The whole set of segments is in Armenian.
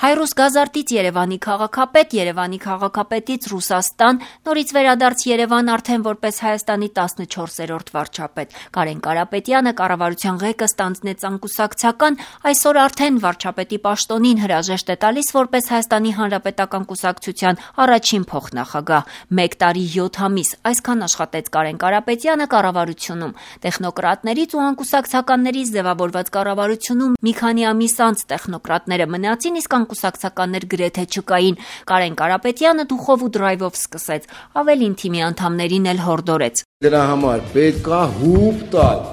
Հայրուս Գազարտից Երևանի քաղաքապետ, Երևանի քաղաքապետից Ռուսաստան, նորից վերադարձ Երևան արդեն որպես Հայաստանի 14-րդ վարչապետ։ Կարեն Կարապետյանը կառավարության ղեկը ստանձնեց անկուսակցական, այսօր արդեն վարչապետի պաշտոնին հրաժեշտ է տալիս որպես Հայաստանի Հանրապետական կուսակցության առաջին փոխնախագահ։ 1 տարի 7 ամիս այսքան աշխատեց Կարեն Կարապետյանը կառավարությունում։ Տեխնոկրատներից ու անկուսակցականներից ձևավորված կառավարությունում մի քանի ամիս անց տեխնոկրատները մնացին, իսկ անկուսակցականներ գրեթե չկային։ Կարեն Կարապետյանը դուխով ու դրայվով սկսեց, ավելին թիմի անդամներին էլ հորդորեց։ Դրա համար պետք է հուպ տալ։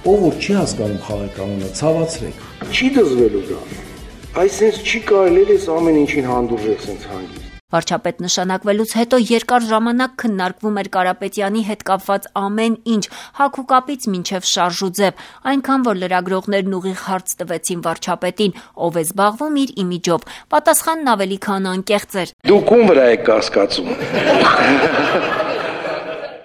Ով որ չի հասկանում խաղականոնը, ցավացրեք։ Չի դզվելու դա։ Այսինքն չի կարելի էս ամեն ինչին հանդուրժել սենց հանգիստ։ Վարչապետ նշանակվելուց հետո երկար ժամանակ քննարկվում էր Կարապետյանի հետ կապված ամեն ինչ, հագ ու կապից մինչև շարժ ու ձև, այնքան որ լրագրողներն ուղիղ հարց տվեցին վարչապետին, ով է զբաղվում իր իմիջով։ Պատասխանն ավելի քան անկեղծ էր։ Դուք ում վրա եք կասկածում։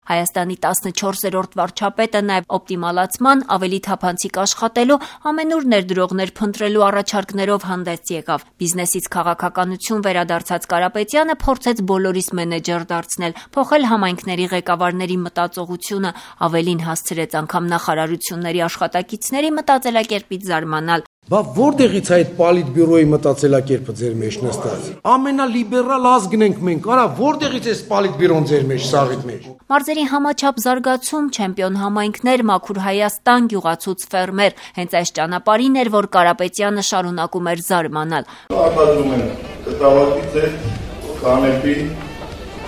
Հայաստանի 14-րդ վարչապետը նաև օպտիմալացման, ավելի թափանցիկ աշխատելու, ամենուր ներդրողներ փնտրելու առաջարկներով հանդես եկավ։ Բիզնեսից քաղաքականություն վերադարձած Կարապետյանը փորձեց բոլորիս մենեջեր դարձնել, փոխել համայնքների ղեկավարների մտածողությունը, ավելին հասցրեց անգամ նախարարությունների աշխատակիցների մտածելակերպից զարմանալ։ Բա որտեղից այդ պոլիտբյուրոյի մտածելակերպը ձեր մեջ նստած։ Ամենալիբերալ ազգն ենք մենք, արա որտեղից է պոլիտբյուրոն ձեր մեջ, սաղիդ մեջ։ Մարզերի համաչափ զարգացում, չեմպիոն համայնքներ, մաքուր Հայաստան, գյուղացուց ֆերմեր, հենց այս ճանապարհին էր, որ Կարապետյանը շարունակում էր զարմանալ։ Արտադրում են կտավակից է, կանեպի,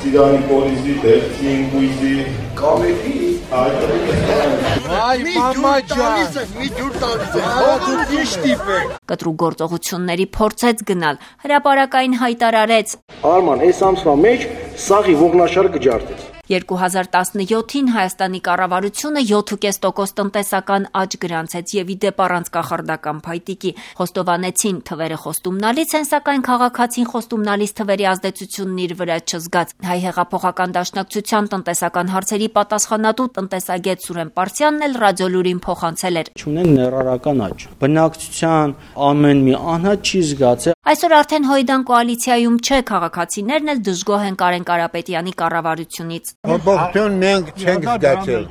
ծիրանի պոլիզի, դեղցին, գույզի, Կամեփի։ Այ մամա ջան, մի ջուր տալիս է, Կտրուկ գործողությունների փորձեց գնալ, հրապարակային հայտարարեց։ Արման, այս ամսվա մեջ սաղի ողնաշարը կջարդեց։ 2017-ին Հայաստանի կառավարությունը 7.5% տնտեսական աճ գրանցեց եւ իդեպ առանց կախարդական փայտիկի։ Խոստովանեցին թվերը խոստումնալից են, սակայն քաղաքացին խոստումնալից թվերի ազդեցությունն իր վրա չզգաց։ Հայ հեղափոխական դաշնակցության տնտեսական հարցերի պատասխանատու տնտեսագետ Սուրեն Պարսյանն էլ ռադիոլուրին փոխանցել էր։ Չունեն ներառական աճ։ Բնակչության ամեն մի անհատ չի զգացել։ Այսօր արդեն Հոյդան կոալիցիայում չէ, քաղաքացիներն էլ դժգոհ են Կարեն Կարապետյանի կառավարությունից։ Բողջոն մենք չենք զգացել։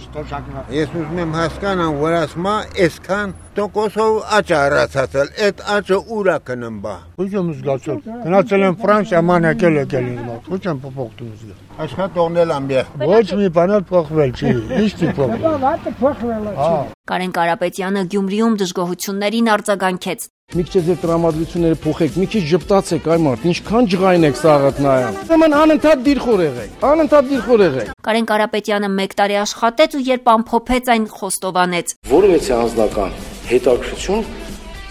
Ես ուզում եմ հասկանամ, որ ասма այսքան տոկոսով աճ առացածել, այդ աճը ուրա կնմբա։ Ոչ եմ զգացել։ Գնացել եմ Ֆրանսիա, եկել եմ։ Ոչ եմ փոխતું զգա։ Աշխատողնել ամբիեղ։ Ոչ մի բան էլ փոխվել չի։ Ինչ փոխվել։ Կարեն Կարապետյանը Գյումրիում դժգոհություններին արձագանքեց։ Մի քիչ ձեր տրամադրությունները փոխեք, մի քիչ ժպտացեք, այ մարդ, ինչքան ջղայն եք սաղդ նայում։ Ուրեմն անընդհատ դիրխոր եղեք, անընդհատ դիրխոր եղեք։ Կարեն Կարապետյանը 1 տարի աշխատեց ու երբ ամփոփեց այն խոստովանեց։ Որևէ անձնական հետաքրքրություն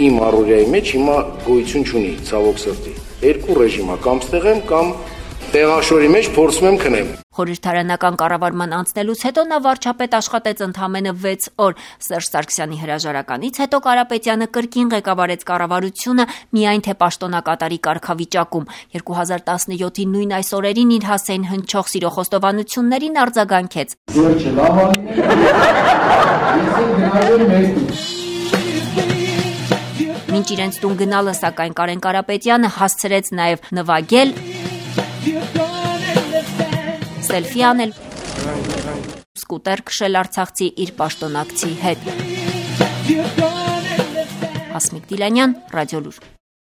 իմ առօրյայի մեջ հիմա գոյություն չունի, ցավոք սրտի։ Երկու ռեժիմ է, կամ ստեղեմ, կամ տեղաշորի մեջ փորձում եմ քնեմ։ Խորհրդարանական կառավարման անցնելուց հետո նա վարչապետ աշխատեց ընդամենը 6 օր։ Սերժ Սարգսյանի հրաժարականից հետո Կարապետյանը կրկին ղեկավարեց կառավարությունը միայն թե պաշտոնակատարի կարգավիճակում։ 2017-ի նույն այս օրերին իր հասցեին հնչող սիրո խոստովանություններին արձագանքեց։ Մինչ իրենց տուն գնալը, սակայն Կարեն Կարապետյանը հասցրեց նաև նվագել, սելֆի անել, սկուտեր քշել արցախցի իր պաշտոնակցի հետ։ Հասմիկ Դիլանյան, Ռադիոլուր։